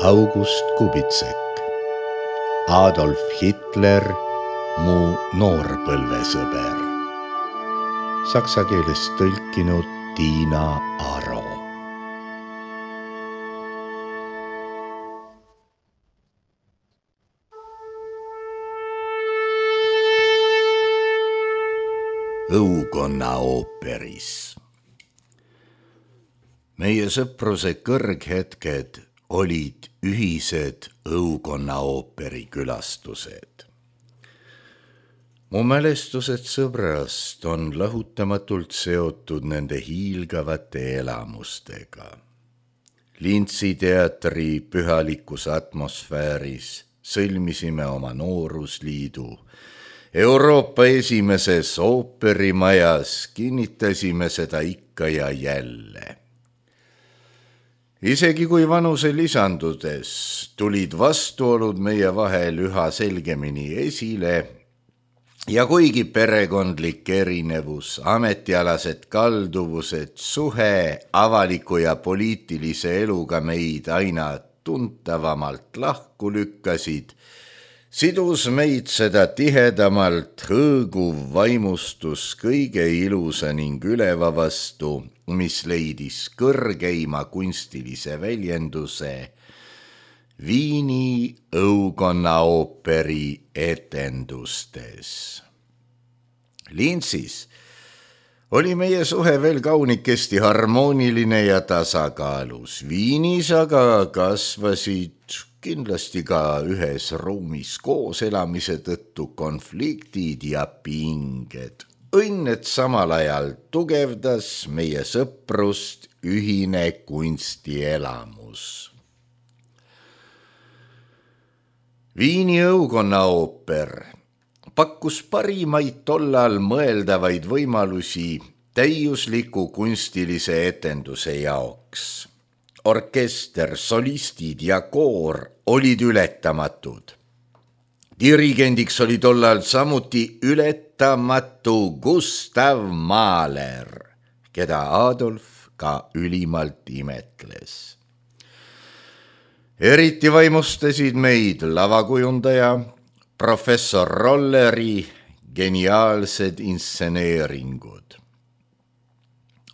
August Kubitsek, Adolf Hitler, mu noorpõlvesõber. Saksa keelest tõlkinud Tiina Aro. Õukonna ooperis. Meie sõpruse kõrghetked olid ühised Õukonna ooperi külastused. Mu mälestused sõbrast on lahutamatult seotud nende hiilgavate elamustega. Lintsi teatri pühalikus atmosfääris sõlmisime oma noorusliidu. Euroopa esimeses ooperimajas kinnitasime seda ikka ja jälle. Isegi kui vanuse lisandudes tulid vastuolud meie vahel üha selgemini esile ja kuigi perekondlik erinevus, ametialased kalduvused, suhe avaliku ja poliitilise eluga meid aina tuntavamalt lahku lükkasid, sidus meid seda tihedamalt hõõguv vaimustus kõige ilusa ning üleva vastu, mis leidis kõrgeima kunstilise väljenduse Viini Õukonna ooperi etendustes. Lintsis oli meie suhe veel kaunikesti harmooniline ja tasakaalus. Viinis aga kasvasid kindlasti ka ühes ruumis koos elamise tõttu konfliktid ja pinged. Õnn, et samal ajal tugevdas meie sõprust ühine kunstielamus. Viini Õukonna ooper pakkus parimaid tollal mõeldavaid võimalusi täiusliku kunstilise etenduse jaoks. Orkester, solistid ja koor olid ületamatud. Dirigendiks oli tollal samuti ületamatu Gustav Mahler, keda Adolf ka ülimalt imetles. Eriti vaimustasid meid lavakujundaja professor Rolleri geniaalsed instseneeringud.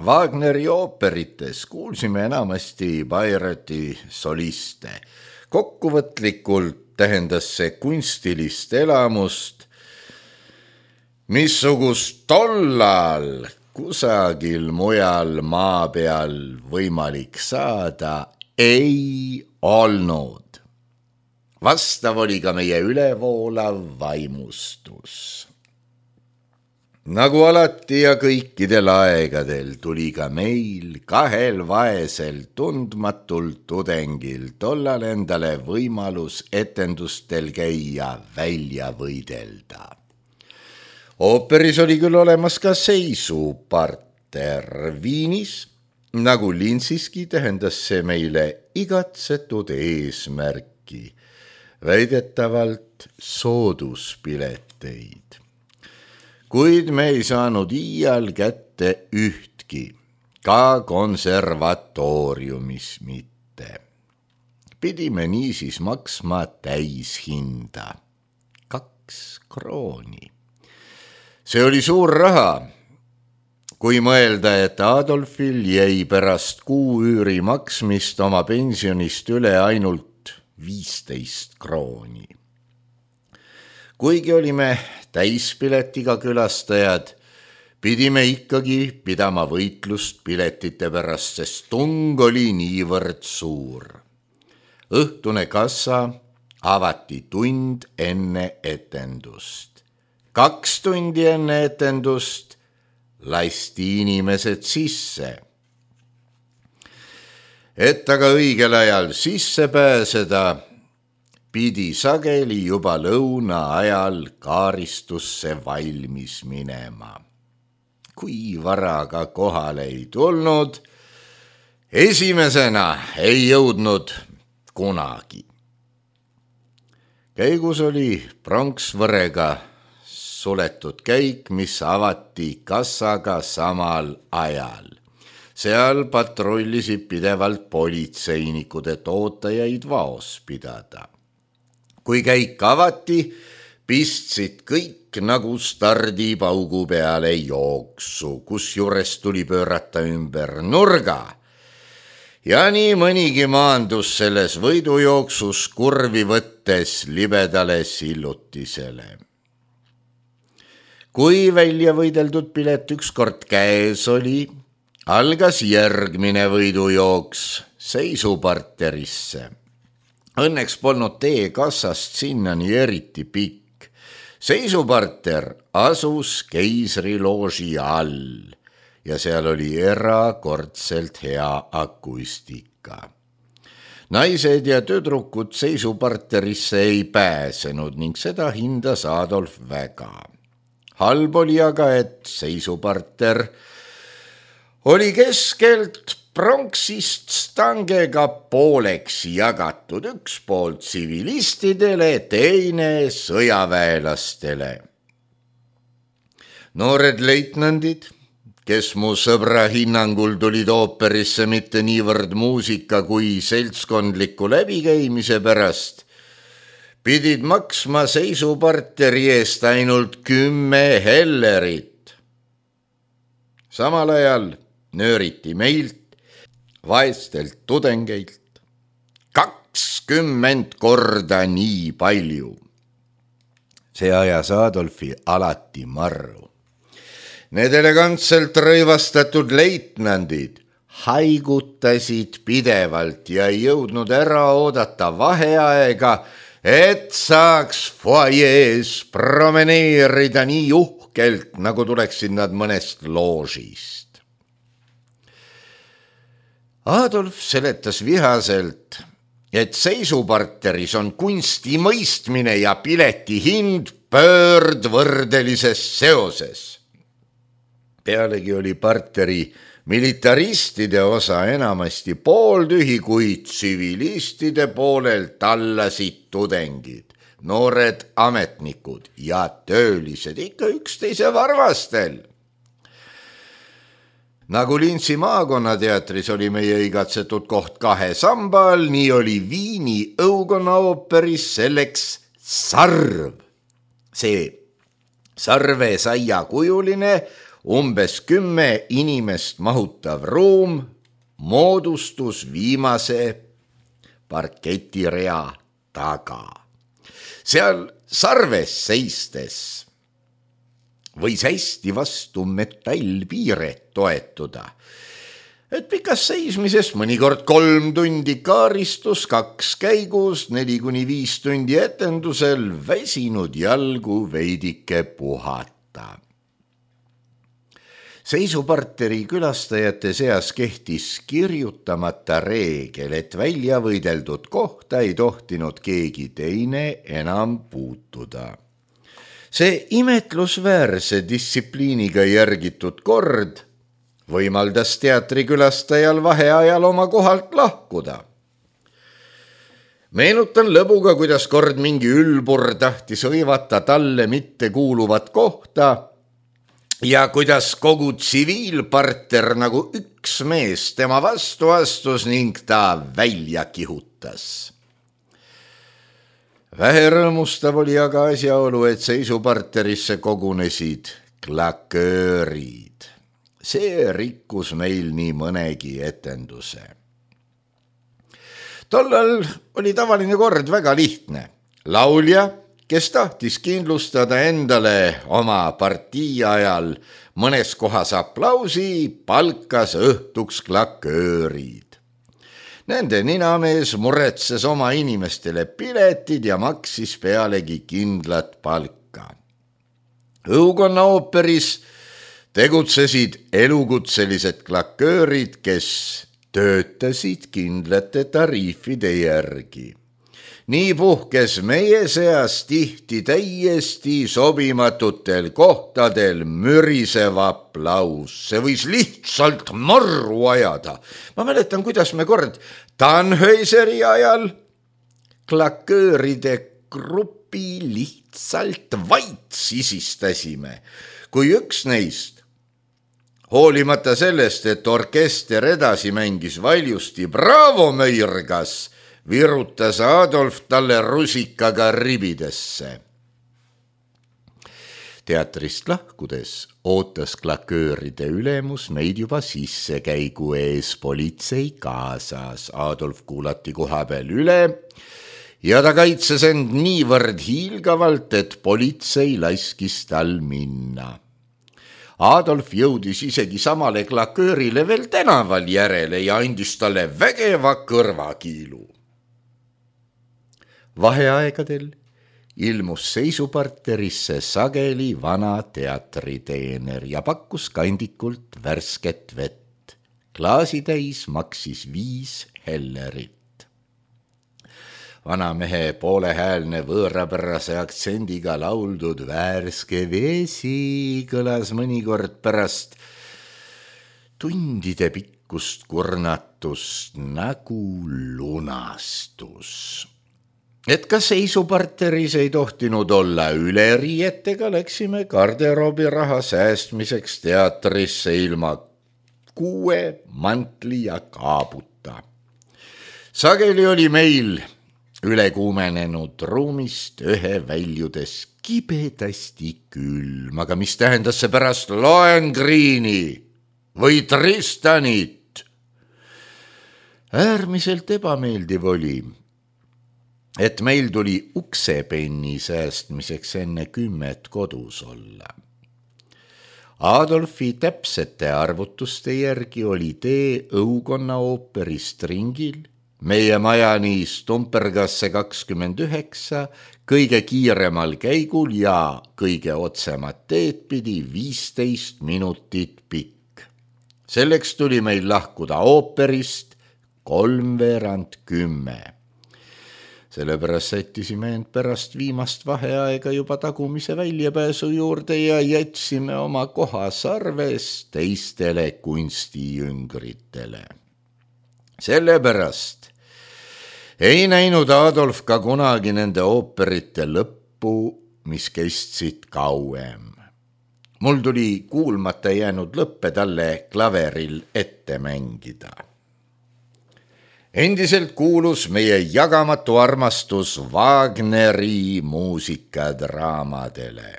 Wagneri ooperites kuulsime enamasti Bayreuthi soliste. Kokkuvõtlikult tähendas see kunstilist elamust, missugust tollal kusagil mujal maa peal võimalik saada ei olnud. Vastav oli ka meie ülevoolav vaimustus. Nagu alati ja kõikidel aegadel tuli ka meil kahel vaesel tundmatul tudengil tollal endale võimalus etendustel käia välja võidelda. Ooperis oli küll olemas ka seisuparter. Viinis, nagu Lintsiski, tähendas see meile igatsetud eesmärki, väidetavalt sooduspileteid. Kuid me ei saanud iial kätte ühtki, ka konservatooriumis mitte. Pidime niisiis maksma täishinda, 2 krooni. See oli suur raha, kui mõelda, et Adolfil jäi pärast kuuüüri maksmist oma pensionist üle ainult 15 krooni. Kuigi olime täispiletiga külastajad, pidime ikkagi pidama võitlust piletite pärast, sest tung oli niivõrd suur. Õhtune kassa avati tund enne etendust. 2 tundi enne etendust lasti inimesed sisse. Et aga õigel ajal sisse pääseda, pidi sageli juba lõuna ajal kaaristusse valmis minema. Kui vara ka kohale ei tulnud, esimesena ei jõudnud kunagi. Käigus oli pronksvõrega suletud käik, mis avati kassaga samal ajal. Seal patrullisid pidevalt politseinikud, et ootajaid vaos pidada. Kui käik avati, pistsid kõik nagu stardipaugu peale jooksu, kusjuures tuli pöörata ümber nurga. Ja nii mõnigi maandus selles võidujooksus kurvi võttes libedale sillutisele. Kui välja võideldud pilet ükskord käes oli, algas järgmine võidujooks seisuparterisse. Õnneks polnud tee kassast sinnani eriti pikk. Seisuparter asus keisrilooži all ja seal oli erakordselt hea akustika. Naised ja tüdrukud seisuparterisse ei pääsenud ning seda hindas Adolf väga. Halb oli aga, et seisuparter oli keskelt pronksist stangega pooleks jagatud, üks pool tsivilistidele, teine sõjaväelastele. Noored leitnandid, kes mu sõbra hinnangul tulid ooperisse mitte niivõrd muusika kui seltskondliku läbikäimise pärast, pidid maksma seisuparteri eest ainult 10 hellerit. Samal ajal nööriti meilt, vaestelt tudengeilt, 20 korda nii palju. See ajas Adolfi alati marru. Need elegantselt rõivastatud leitnandid haigutasid pidevalt ja ei jõudnud ära oodata vaheaega, et saaks foajees promeneerida nii uhkelt, nagu tuleksid nad mõnest loožist. Adolf seletas vihaselt, et seisuparteris on kunsti mõistmine ja pileti hind pöördvõrdelises seoses. Pealegi oli parteri militaristide osa enamasti pooltühi, kui tsivilistide poolelt allasid tudengid, noored ametnikud ja töölised ikka üksteise varvastel. Nagu Linsi maakonnateatris oli meie igatsetud koht 2 samba all, nii oli Viini õukonnaooperis selleks sarv. See sarvesaia kujuline, umbes 10 inimest mahutav ruum moodustus viimase parketirea taga. Seal sarves seistes võis hästi vastu metallpiiret toetuda, et pikas seismises mõnikord 3 tundi kaaristus, 2 käigus, 4-5 tundi etendusel väsinud jalgu veidike puhata. Seisuparteri külastajate seas kehtis kirjutamata reegel, et välja võideldud kohta ei tohtinud keegi teine enam puutuda. See imetlusväärse distsipliiniga järgitud kord võimaldas teatrikülastajal vaheajal oma kohalt lahkuda. Meenutan lõbuga, kuidas kord mingi ülbur tahtis hõivata talle mitte kuuluvat kohta ja kuidas kogu tsiviilparter nagu üks mees tema vastu astus ning ta välja kihutas. Vähe rõõmustav oli aga asjaolu, et seisuparterisse kogunesid klaköörid. See rikkus meil nii mõnegi etenduse. Tollal oli tavaline kord väga lihtne. Laulja, kes tahtis kindlustada endale oma partii ajal mõnes kohas aplausi, palkas õhtuks klaköörid. Nende ninamees muretses oma inimestele piletid ja maksis pealegi kindlat palka. Õukonnaooperis tegutsesid elukutselised klaköörid, kes töötasid kindlate tariifide järgi. Nii puhkes meie seas tihti täiesti sobimatutel kohtadel mürisev aplaus. See võis lihtsalt marru ajada. Ma mäletan, kuidas me kord Tannhäuseri ajal klakööride grupi lihtsalt vait sisistasime, kui üks neist Hoolimata sellest, et orkester edasi mängis valjusti Bravo möirgas, virutas Adolf talle rusikaga ribidesse. Teatrist lahkudes ootas klakööride ülemus meid juba sissekäigu ees politsei kaasas. Adolf kuulati koha peal üle ja ta kaitses end niivõrd hiilgavalt, et politsei laskis tal minna. Adolf jõudis isegi samale klaköörile veel tänaval järele ja andis talle vägeva kõrvakiilu. Vaheaegadel ilmus seisuparterisse sageli vana teatriteener ja pakkus kandikult värsket vett. Klaasitäis maksis 5 hellerit. Vanamehe poolehäälne võõrapärase aktsendiga lauldud värske vesi kõlas mõnikord pärast tundide pikkust kurnatust nagu lunastus. Et ka seisuparteris ei tohtinud olla üleriietega, läksime garderoobi raha säästmiseks teatrisse ilma 6 mantli ja kaabuta. Sageli oli meil ülekuumenenud ruumist ühe väljudes kibedasti külm, aga mis tähendas see pärast Lohengrini või Tristanit? Äärmiselt ebameeldiv oli, et meil tuli uksepenni säästmiseks enne 10 kodus olla. Adolfi täpsete arvutuste järgi oli tee Õukonna ooperist ringil, meie majani Stumpergasse 29, kõige kiiremal käigul ja kõige otsemat teed pidi 15 minutit pikk. Selleks tuli meil lahkuda ooperist 9:45. Sellepärast sättisime end pärast viimast vaheaega juba tagumise väljapääsu juurde ja jätsime oma koha sarves teistele kunstijüngritele. Sellepärast ei näinud Adolf ka kunagi nende ooperite lõppu, mis kestsid kauem. Mul tuli kuulmata jäänud lõppe talle klaveril ette mängida. Endiselt kuulus meie jagamatu armastus Wagneri muusikadraamadele.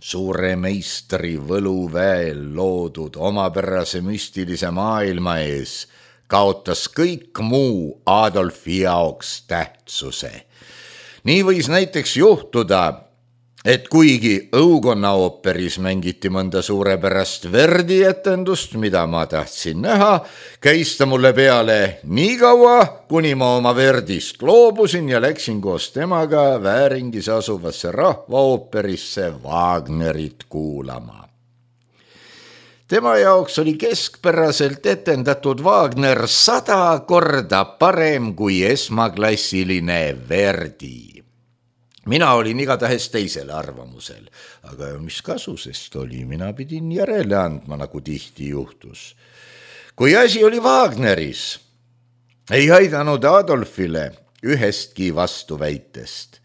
Suure meistri võluväel loodud omapärase müstilise maailma ees kaotas kõik muu Adolfi jaoks tähtsuse. Nii võis näiteks juhtuda, et kuigi Õukonna ooperis mängiti mõnda suurepärast Verdi etendust, mida ma tahtsin näha, käis ta mulle peale nii kaua, kuni ma oma Verdist loobusin ja läksin koos temaga Vääringis asuvasse rahvaooperisse Wagnerit kuulama. Tema jaoks oli keskpäraselt etendatud Wagner 100 korda parem kui esmaklassiline Verdi. Mina olin igatahes teisel arvamusel, aga mis kasu sest oli, mina pidin järele andma, nagu tihti juhtus. Kui asi oli Wagneris, ei aidanud Adolfile ühestki vastuväitest.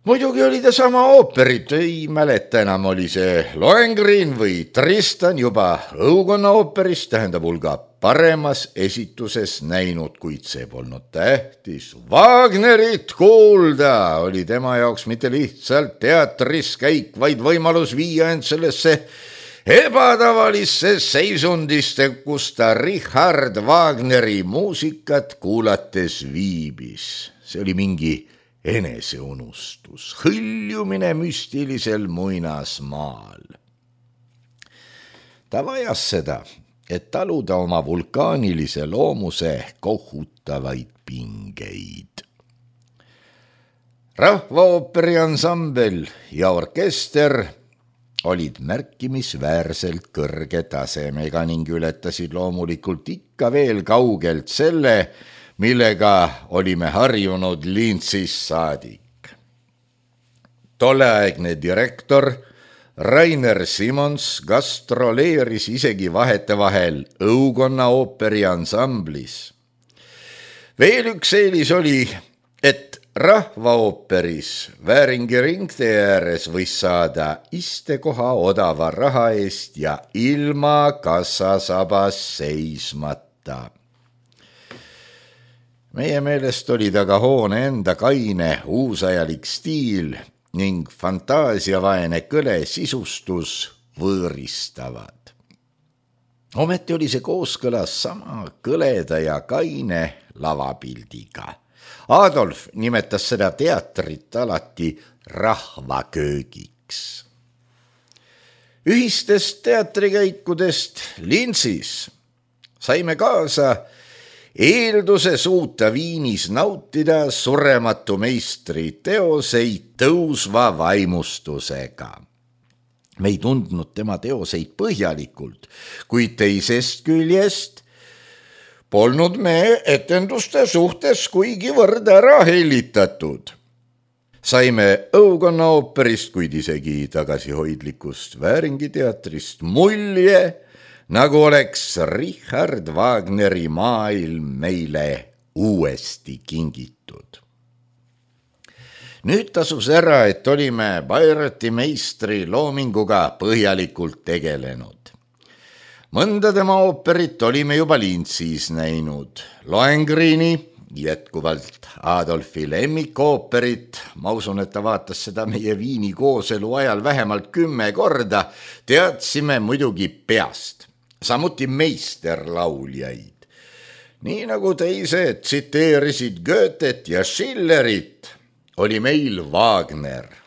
Muidugi oli ta sama ooperit, ei mäleta enam, oli see Lohengrin või Tristan juba Õukonna ooperis, tähendab hulga paremas esituses näinud, kuid see polnud tähtis. Wagnerit kuulda oli tema jaoks mitte lihtsalt teatris käik, vaid võimalus viia end sellesse ebatavalisse seisundiste, kus ta Richard Wagneri muusikat kuulates viibis. See oli mingi eneseunustus, hõljumine müstilisel muinasmaal. Ta vajas seda, et taluda oma vulkaanilise loomuse kohutavaid pingeid. Rahvaooperi ansambel ja orkester olid märkimisväärselt kõrge tasemega ning ületasid loomulikult ikka veel kaugelt selle, millega olime harjunud Lintsist saadik. Tolleaegne direktor Rainer Simons gastroleeris isegi vahetevahel Õukonna ooperi ansamblis. Veel üks eelis oli, et rahvaooperis Vääringi ringtee ääres võis saada istekoha odava raha eest ja ilma kassasabas seismata. Meie meelest oli taga hoone enda kaine uusajalik stiil ning fantaasiavaene kõle sisustus võõristavad. Ometi oli see kooskõlas sama kõleda ja kaine lavapildiga. Adolf nimetas seda teatrit alati rahvaköögiks. Ühistest teatrikäikudest Lintsis saime kaasa eelduse suuta Viinis nautida surematu meistri teoseid tõusva vaimustusega. Me ei tundnud tema teoseid põhjalikult, kuid teisest küljest polnud me etenduste suhtes kuigivõrd ära hellitatud. Saime õukonna ooperist, kuid isegi tagasihoidlikust Vääringi teatrist mulje, nagu oleks Richard Wagneri maailm meile uuesti kingitud. Nüüd tasus ära, et olime Bayreuthi meistri loominguga põhjalikult tegelenud. Mõnda tema ooperit olime juba Lintsis näinud. Lohengrini, jätkuvalt Adolfi lemmikooperit, ma usun, et ta vaatas seda meie Viini kooselu ajal vähemalt 10 korda, teadsime muidugi peast, samuti meisterlauljaid. Nii nagu teised tsiteerisid Goethet ja Schillerit, oli meil Wagner.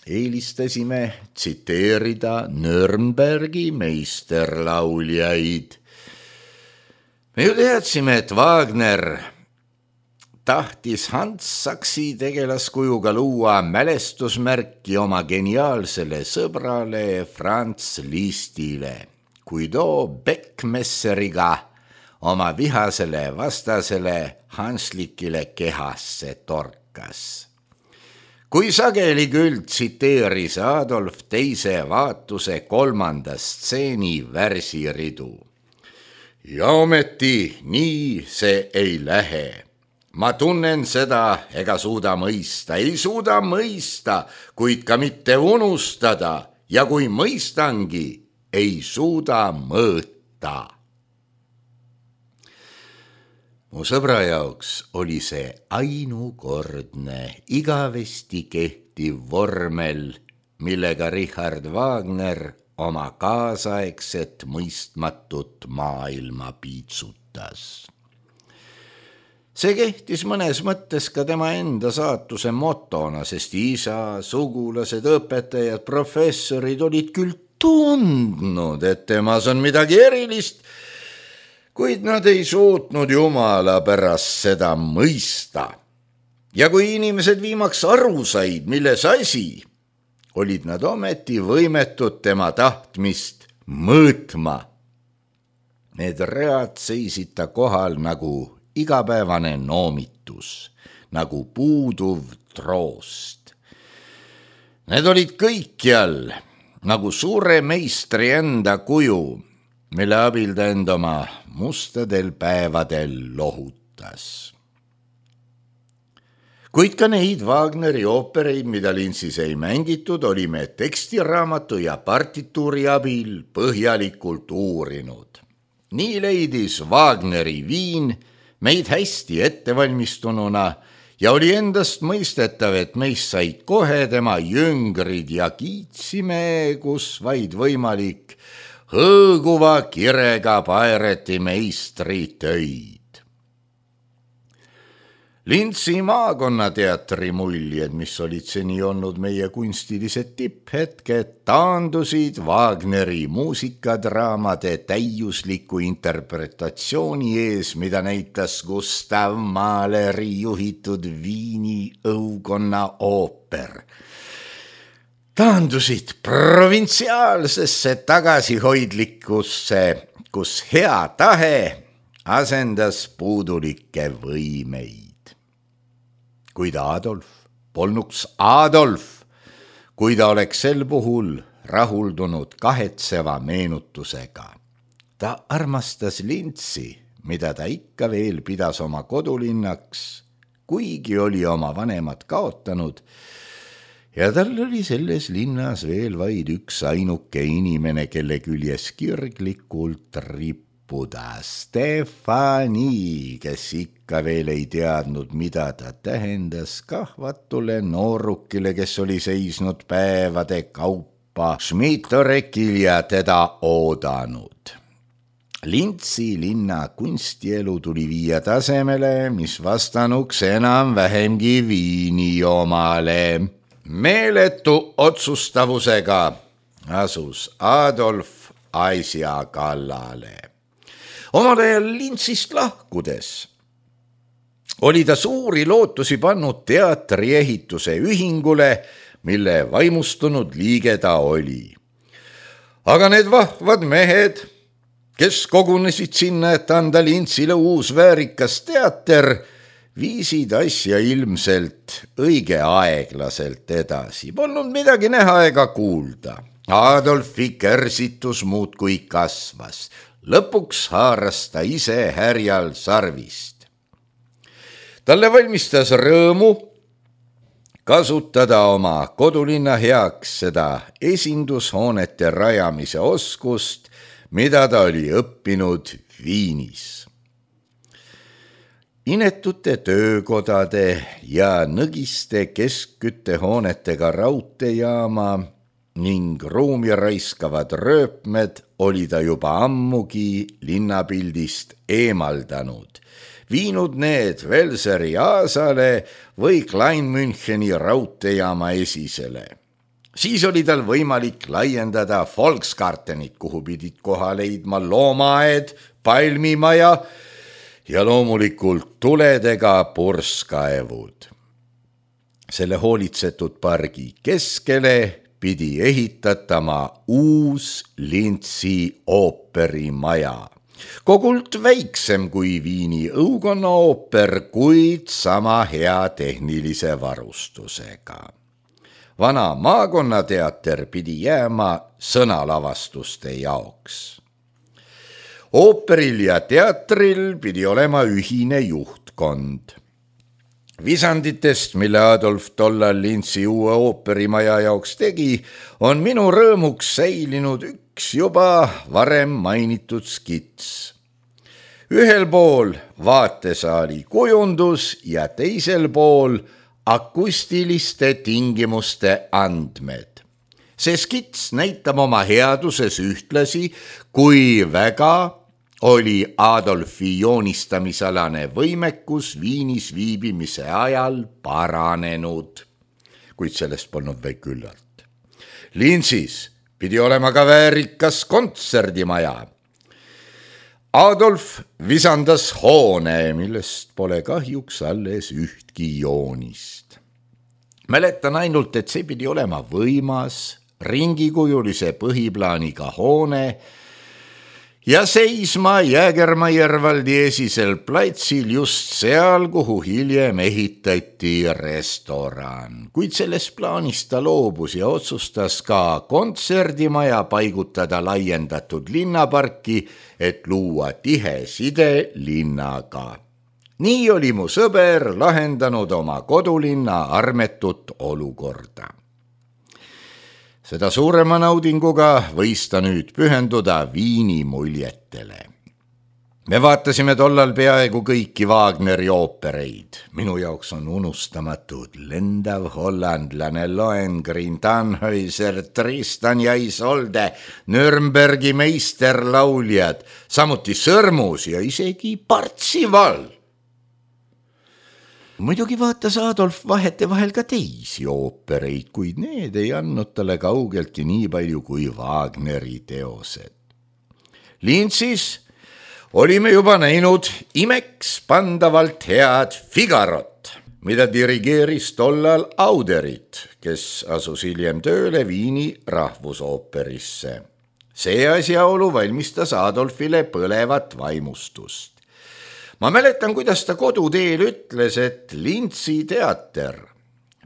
Eelistasime tsiteerida Nürnbergi meisterlauljaid. Me ju teadsime, et Wagner tahtis Hans Sachsi tegelaskujuga luua mälestusmärki oma geniaalsele sõbrale Franz Lisztile, kui too Beckmesseriga oma vihasele vastasele Hanslikile kehasse torkas. Kui sageli küll tsiteeris Adolf teise vaatuse 3. stseeni värsiridu. Ja ometi nii see ei lähe. Ma tunnen seda ega suuda mõista, ei suuda mõista, kuid ka mitte unustada ja kui mõistangi, ei suuda mõõta. Mu sõbra jaoks oli see ainukordne, igavesti kehtiv vormel, millega Richard Wagner oma kaasaegset mõistmatut maailma piitsutas. See kehtis mõnes mõttes ka tema enda saatuse motona, sest isa, sugulased, õpetajad, professorid olid küll tundnud, et temas on midagi erilist, kuid nad ei suutnud Jumala pärast seda mõista. Ja kui inimesed viimaks aru said, milles asi, olid nad ometi võimetud tema tahtmist mõõtma. Need read seisid ta kohal nagu igapäevane noomitus, nagu puuduv troost. Need olid kõikjal nagu suure meistri enda kuju, mille abil ta end oma mustadel päevadel lohutas. Kuid ka neid Wagneri oopereid, mida Lintsis ei mängitud, olime tekstiraamatu ja partituuri abil põhjalikult uurinud. Nii leidis Wagneri Viin meid hästi ettevalmistununa ja oli endast mõistetav, et meist said kohe tema jüngrid ja kiitsime, kus vaid võimalik, hõõguva kirega Bayreuthi meistri töid. Lintsi maakonnateatri muljed, mis olid seni olnud meie kunstilised tipphetked, taandusid Wagneri muusikadraamade täiusliku interpretatsiooni ees, mida näitas Gustav Mahleri juhitud Viini õukonna ooper. Taandusid provintsiaalsesse tagasihoidlikkusse, kus hea tahe asendas puudulikke võimeid. Kuid Adolf polnuks Adolf, kui ta oleks sel puhul rahuldunud kahetseva meenutusega. Ta armastas Lintsi, mida ta ikka veel pidas oma kodulinnaks, kuigi oli oma vanemad kaotanud ja tal oli selles linnas veel vaid üks ainuke inimene, kelle küljes kirglikult rippuda, Stefani, kes ikka veel ei teadnud, mida ta tähendas kahvatule noorukile, kes oli seisnud päevade kaupa Schmidtorekil ja teda oodanud. Lintsi linna kunstielu tuli viia tasemele, mis vastanuks enam-vähemgi Viini omale. Meeletu otsustavusega asus Adolf asja kallale. Omal ajal Lintsist lahkudes oli ta suuri lootusi pannud teatriehituse ühingule, mille vaimustunud liige ta oli. Aga need vahvad mehed, kes kogunesid sinna, et anda Lintsile uus väärikas teater, viisid asja ilmselt õige aeglaselt edasi. Polnud midagi näha ega kuulda. Adolfi kärsitus muudkui kasvas. Lõpuks haaras ta ise härjal sarvist. Talle valmistas rõõmu kasutada oma kodulinna heaks seda esindushoonete rajamise oskust, mida ta oli õppinud Viinis. Inetute töökodade ja nõgiste keskküttehoonetega raudteejaama ning ruumi raiskavad rööpmed oli ta juba ammugi linnapildist eemaldanud, viinud need Velseri Aasale või Kleinmüncheni raudteejaama esisele. Siis oli tal võimalik laiendada Volksgartenit, kuhu pidid koha leidma loomaaed, palmimaja ja loomulikult tuledega purskaevud. Selle hoolitsetud pargi keskele pidi ehitatama uus Lintsi ooperimaja. Kogult väiksem kui Viini õukonnaooper, kuid sama hea tehnilise varustusega. Vana maakonnateater pidi jääma sõnalavastuste jaoks. Ooperil ja teatril pidi olema ühine juhtkond. Visanditest, mille Adolf tollal Lintsi uue ooperimaja jaoks tegi, on minu rõõmuks säilinud üks juba varem mainitud skits. Ühel pool vaatesaali kujundus ja teisel pool akustiliste tingimuste andmed. See skits näitab oma headuses ühtlasi, kui väga oli Adolfi joonistamisalane võimekus Viinis viibimise ajal paranenud, kuid sellest polnud veel küllalt. Lintsis pidi olema ka väärikas kontserdimaja. Adolf visandas hoone, millest pole kahjuks alles ühtki joonist. Mäletan ainult, et see pidi olema võimas, ringikujulise põhiplaaniga hoone ja seisma Jäägermaiervaldi esisel platsil just seal, kuhu hiljem ehitati restoran. Kuid sellest plaanist ta loobus ja otsustas ka kontserdimaja paigutada laiendatud linnaparki, et luua tihe side linnaga. Nii oli mu sõber lahendanud oma kodulinna armetut olukorda. Seda suurema naudinguga võis ta nüüd pühenduda Viini muljetele. Me vaatasime tollal peaaegu kõiki Wagneri oopereid. Minu jaoks on unustamatud Lendav hollandlane, Lohengrin, Tannhäuser, Tristan ja Isolde, Nürnbergi meisterlauljad, samuti Sõrmus ja isegi Partsival. Muidugi vaatas Adolf vahetevahel ka teisi oopereid, kuid need ei andnud talle kaugeltki nii palju kui Wagneri teosed. Lintsis olime juba näinud imeks pandavalt head Figarot, mida dirigeeris tollal Auderit, kes asus hiljem tööle Viini rahvusooperisse. See asjaolu valmistas Adolfile põlevat vaimustust. Ma mäletan, kuidas ta koduteel ütles, et Lintsi teater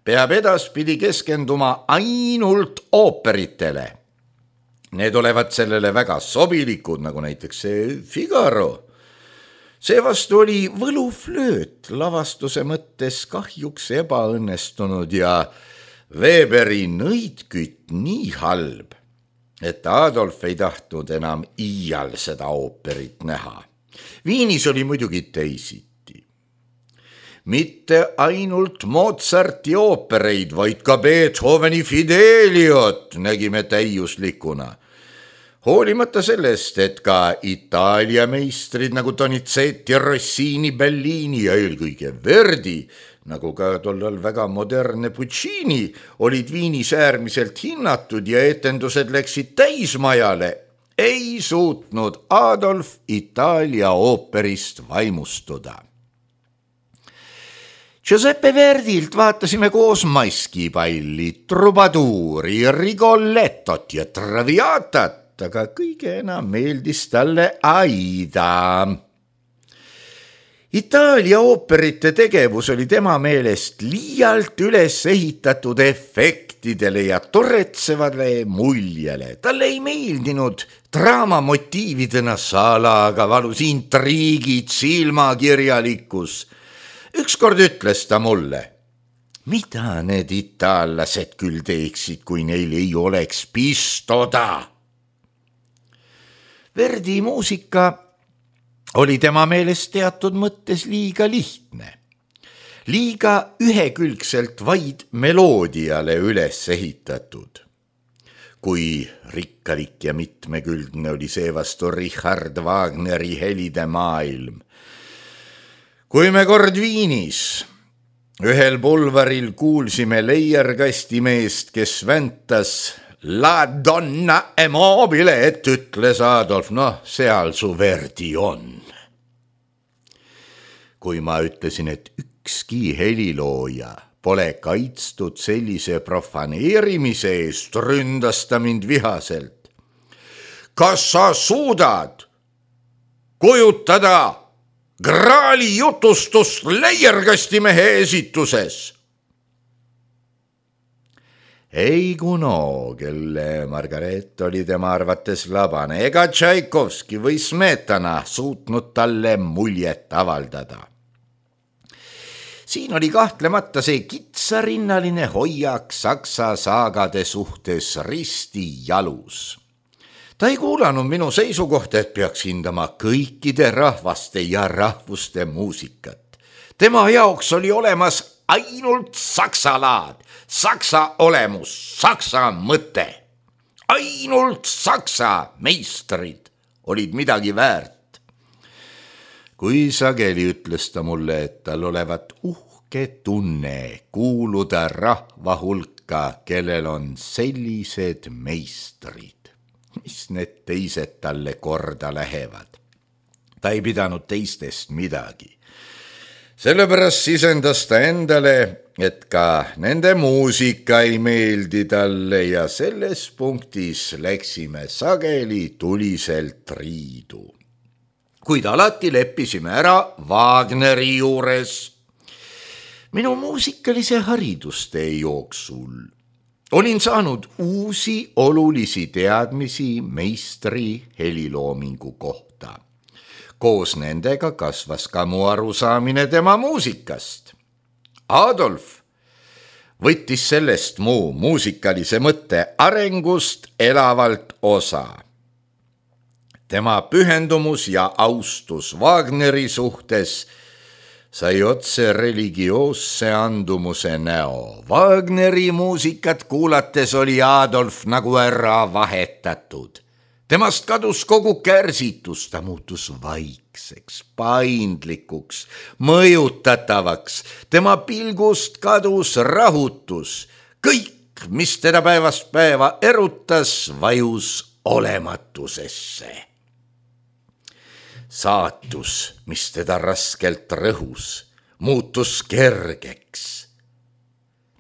peab edaspidi keskenduma ainult ooperitele. Need olevat sellele väga sobilikud, nagu näiteks see Figaro. Seevastu oli võluflööt lavastuse mõttes kahjuks ebaõnnestunud ja Weberi nõidkütt nii halb, et Adolf ei tahtnud enam iial seda ooperit näha. Viinis oli muidugi teisiti. Mitte ainult Mozarti oopereid, vaid ka Beethoveni Fideliot nägime täiuslikuna. Hoolimata sellest, et ka Itaalia meistrid nagu Donizetti, Rossini, Bellini ja eelkõige Verdi, nagu ka tollal väga modernne Puccini, olid Viinis äärmiselt hinnatud ja etendused läksid täismajale, ei suutnud Adolf Itaalia ooperist vaimustuda. Giuseppe Verdilt vaatasime koos Maskipalli, Trubaduuri, Rigolettot ja Traviatat, aga kõige enam meeldis talle Aida. Itaalia ooperite tegevus oli tema meelest liialt üles ehitatud efektidele ja toretsevale muljele. Talle ei meeldinud draamamotiividena salaga valus intriigid, silmakirjalikkus. Ükskord ütles ta mulle, mida need itaallased küll teeksid, kui neil ei oleks pistoda. Verdi muusika oli tema meelest teatud mõttes liiga lihtne, liiga ühekülgselt vaid meloodiale üles ehitatud. Kui rikkalik ja mitmekülgne oli seevastu Richard Wagneri helide maailm. Kui me kord Viinis ühel pulvaril kuulsime leierkastimeest, kes väntas La donna è mobile, et ütles Adolf, seal su Verdi on. Kui ma ütlesin, et ükski helilooja pole kaitstud sellise profaneerimise eest, ründas ta mind vihaselt. Kas sa suudad kujutada Graali jutustust leierkastimehe esituses? Ei Kuno, kelle Margaret oli tema arvates labane, ega Tšaikovski või Smetana suutnud talle muljet avaldada. Siin oli kahtlemata see kitsarinnaline hoiak saksa saagade suhtes risti jalus. Ta ei kuulanud minu seisukohta, et peaks hindama kõikide rahvaste ja rahvuste muusikat. Tema jaoks oli olemas ainult saksa laad, saksa olemus, saksa mõte. Ainult saksa meistrid olid midagi väärt. Kui sageli ütles ta mulle, et tal olevat uhke tunne kuuluda rahva hulka, kellel on sellised meistrid. Mis need teised talle korda lähevad? Ta ei pidanud teistest midagi. Sellepärast sisendas ta endale, et ka nende muusika ei meeldi talle ja selles punktis läksime sageli tuliselt riidu. Kuid alati leppisime ära Wagneri juures. Minu muusikalise haridustee jooksul olin saanud uusi olulisi teadmisi meistri heliloomingu kohta. Koos nendega kasvas ka mu arusaamine tema muusikast. Adolf võttis sellest mu muusikalise mõtte arengust elavalt osa. Tema pühendumus ja austus Wagneri suhtes sai otse religioosse andumuse näo. Wagneri muusikat kuulates oli Adolf nagu ära vahetatud. Temast kadus kogu kärsitus, ta muutus vaikseks, paindlikuks, mõjutatavaks. Tema pilgust kadus rahutus. Kõik, mis teda päevast päeva erutas, vajus olematusesse. Saatus, mis teda raskelt rõhus, muutus kergeks.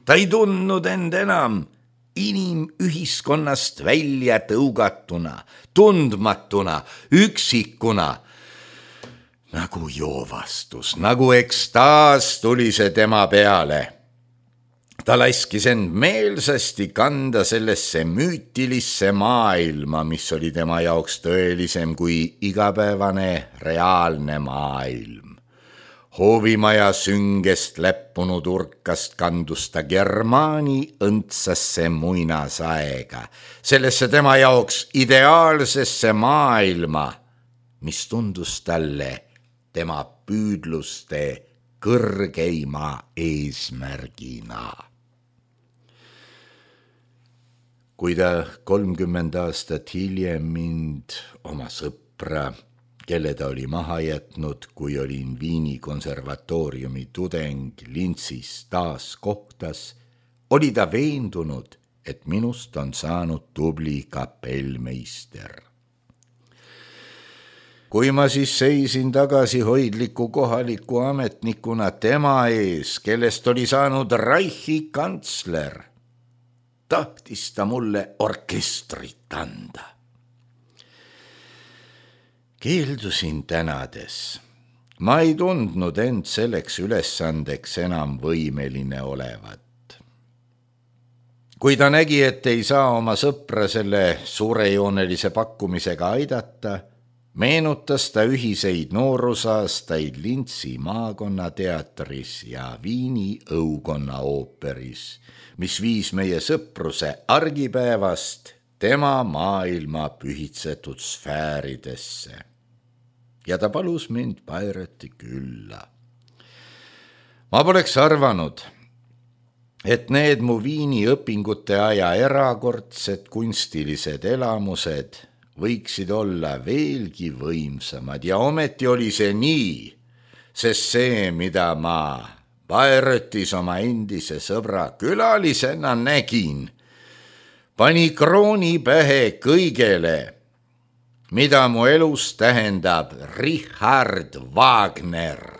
Ta ei tundnud end enam inimühiskonnast välja tõugatuna, tundmatuna, üksikuna. Nagu joovastus, nagu ekstaas tuli see tema peale. Ta laskis end meelsasti kanda sellesse müütilisse maailma, mis oli tema jaoks tõelisem kui igapäevane reaalne maailm. Hoovimaja süngest läppunud urkast kandus ta Germaani õndsasse muinasaega, sellesse tema jaoks ideaalsesse maailma, mis tundus talle tema püüdluste kõrgeima eesmärgina. Kui ta 30 aastat hiljem mind, oma sõpra, kelle ta oli maha jätnud, kui olin Viini konservatooriumi tudeng Lintsis taas kohtas, oli ta veendunud, et minust on saanud tubli kapellmeister. Kui ma siis seisin tagasihoidliku kohaliku ametnikuna tema ees, kellest oli saanud Reichi kantsler, tahtis ta mulle orkestrit anda. Keeldusin tänades. Ma ei tundnud end selleks ülesandeks enam võimeline olevat. Kui ta nägi, et ei saa oma sõpra selle suurejoonelise pakkumisega aidata, meenutas ta ühiseid noorusaastaid Lintsi maakonnateatris ja Viini õukonna ooperis, mis viis meie sõpruse argipäevast tema maailma pühitsetud sfääridesse. Ja ta palus mind Bayreuthi külla. Ma poleks arvanud, et need mu Viini õpingute aja erakordsed kunstilised elamused võiksid olla veelgi võimsamad ja ometi oli see nii, sest see, mida ma Bayreuthis oma endise sõbra külalisena nägin, pani krooni pähe kõigele, mida mu elus tähendab Richard Wagner.